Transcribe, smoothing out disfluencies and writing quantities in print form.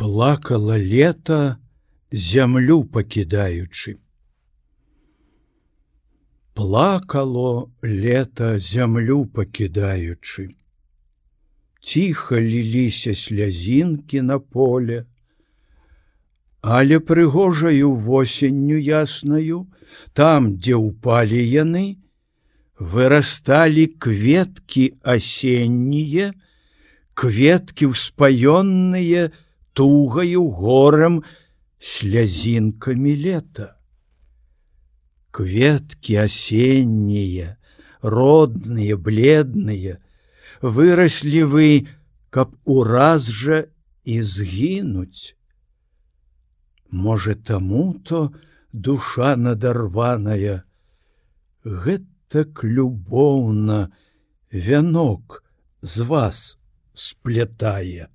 Плакала лета, зямлю пакідаючы. Плакало лета, зямлю пакідаючы. Ціха ліліся слязінкі на поле, але прыгожаю восенню яснаю, там, дзе ўпалі яны, вырасталі кветкі асеннія, кветкі ўспаённыя тугаю горам слязінкамі лета. Кветкі асеннія, родныя, бледныя, выраслі вы, каб ураз жа і згінуць. Можа, таму-то душа надарваная гэтак любоўна вянок з вас сплятае.